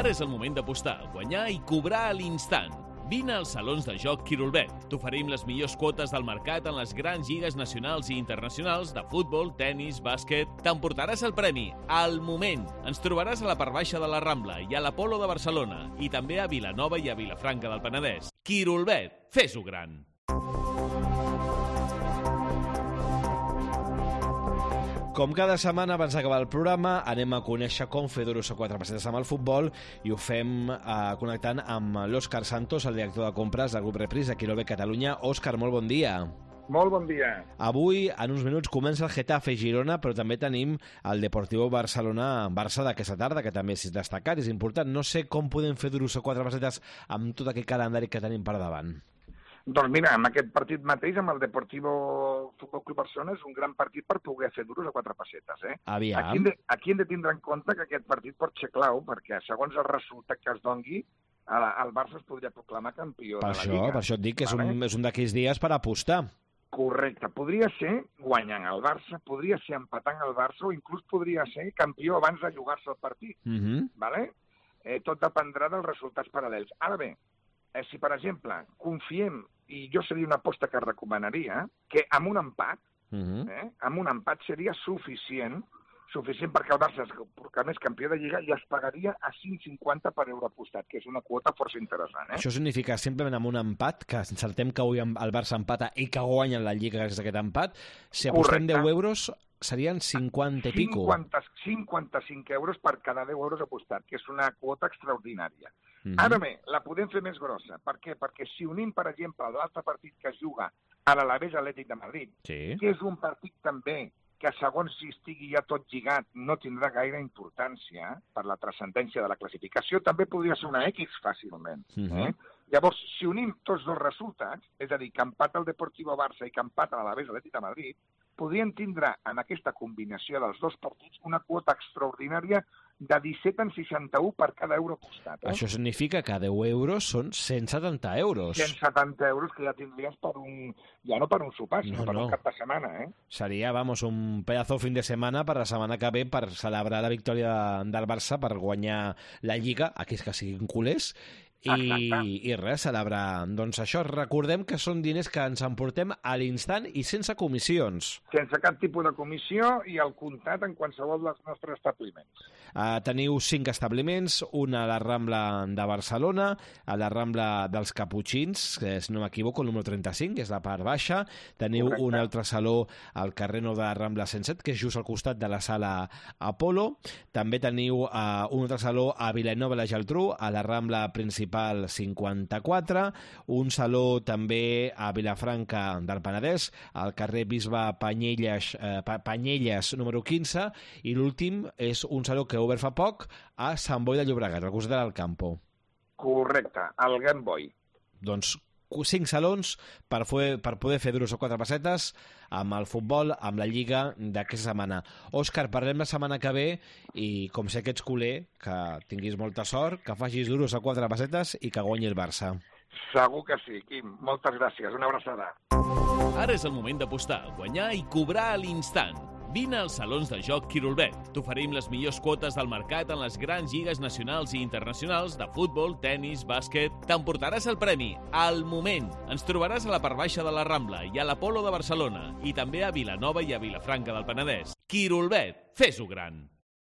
Ara és el moment d'apostar, guanyar i cobrar a l'instant. Vine als salons de joc Quirolbet. T'oferim les millors quotes del mercat en les grans lligues nacionals i internacionals de futbol, tennis, bàsquet. T'emportaràs el premi al moment. Ens trobaràs a la part baixa de la Rambla i a l'Apolo de Barcelona i també a Vilanova i a Vilafranca del Penedès. Quirolbet, fes-ho gran. Com cada setmana, abans d'acabar el programa, anem a conèixer com fer duros a 4 pessetes amb el futbol i ho fem connectant amb l'Òscar Santos, el director de compres del grup Repris de Quirolbet Catalunya. Òscar, molt bon dia. Molt bon dia. Avui, en uns minuts, comença el Getafe Girona, però també tenim el Deportivo Barça d'aquesta tarda, que també és destacat, és important. No sé com podem fer duros a 4 pessetes amb tot aquest calendari que tenim per davant. Doncs mira, amb aquest partit mateix, amb el Deportivo Futbol Club Barcelona, és un gran partit per poder fer duros a 4 pessetes. Aviam. Aquí hem de tindre en compte que aquest partit pot ser clau, perquè segons el resultat que es dongui, el Barça es podria proclamar campió de la Lliga. Per això et dic que és un d'aquells dies per apostar. Correcte. Podria ser guanyant el Barça, podria ser empatant el Barça, o inclús podria ser campió abans de jugar-se el partit. Vale? Tot dependrà dels resultats paral·lels. Ara bé, si, per exemple, confiem, i jo seria una aposta que recomanaria, que amb un empat seria suficient perquè el Barça es proclamés campió de Lliga i es pagaria a 5,50 per euro apostat, que és una quota força interessant. Això significa simplement amb un empat, que encertem que avui el Barça empata i que guanyen la Lliga gràcies a aquest empat, si apostem 10 euros serien 50 i pico. 55 euros per cada 10 euros apostat, que és una quota extraordinària. Ara bé, la podem fer més grossa. Per què? Perquè si unim, per exemple, l'altre partit que es juga a l'Alavés Atlètic de Madrid, que és un partit també que segons si estigui ja tot lligat no tindrà gaire importància per la transcendència de la classificació, també podria ser una X fàcilment. Llavors, si unim tots dos resultats, és a dir, que empata el Deportivo Barça i que empata l'Alavés Atlètic de Madrid, podrien tindre en aquesta combinació dels dos partits una quota extraordinària de 17,61 per cada euro apostat. Això significa que 10 euros són 170 euros. 170 euros que ja tindries ja no per un sopar, sinó per un cap de setmana. Seria, un pedazo fin de setmana per la setmana que ve per celebrar la victòria del Barça, per guanyar la Lliga, aquells que siguin culers, i res, celebrar. Doncs això, recordem que són diners que ens emportem a l'instant i sense comissions. Sense cap tipus de comissió i al comptat en qualsevol dels nostres establiments. Teniu 5 establiments, un a la Rambla de Barcelona, a la Rambla dels Caputxins, que si no m'equivoco, el número 35, que és la part baixa. Teniu un altre saló al carrer Nou de la Rambla 107, que és just al costat de la sala Apolo. També teniu un altre saló a Vilanova i la Geltrú, a la Rambla principal 54, un saló també a Vilafranca del Penedès, al carrer Bisbe Panyelles número 15, i l'últim és un saló que ha obert fa poc a Sant Boi de Llobregat, al costat del Campo. Correcte, al Gran Boi. Doncs 5 salons per poder fer duros a 4 pessetes amb el futbol, amb la Lliga d'aquesta setmana. Òscar, parlem la setmana que ve i com sé que ets culer, que tinguis molta sort, que facis duros a 4 pessetes i que guanyi el Barça. Segur que sí, Quim. Moltes gràcies. Una abraçada. Ara és el moment d'apostar, guanyar i cobrar a l'instant. Vine als salons de joc Quirolbet. T'oferim les millors quotes del mercat en les grans lligues nacionals i internacionals de futbol, tennis, bàsquet. T'emportaràs el premi al moment. Ens trobaràs a la part baixa de la Rambla i a l'Apolo de Barcelona i també a Vilanova i a Vilafranca del Penedès. Quirolbet, fes-ho gran.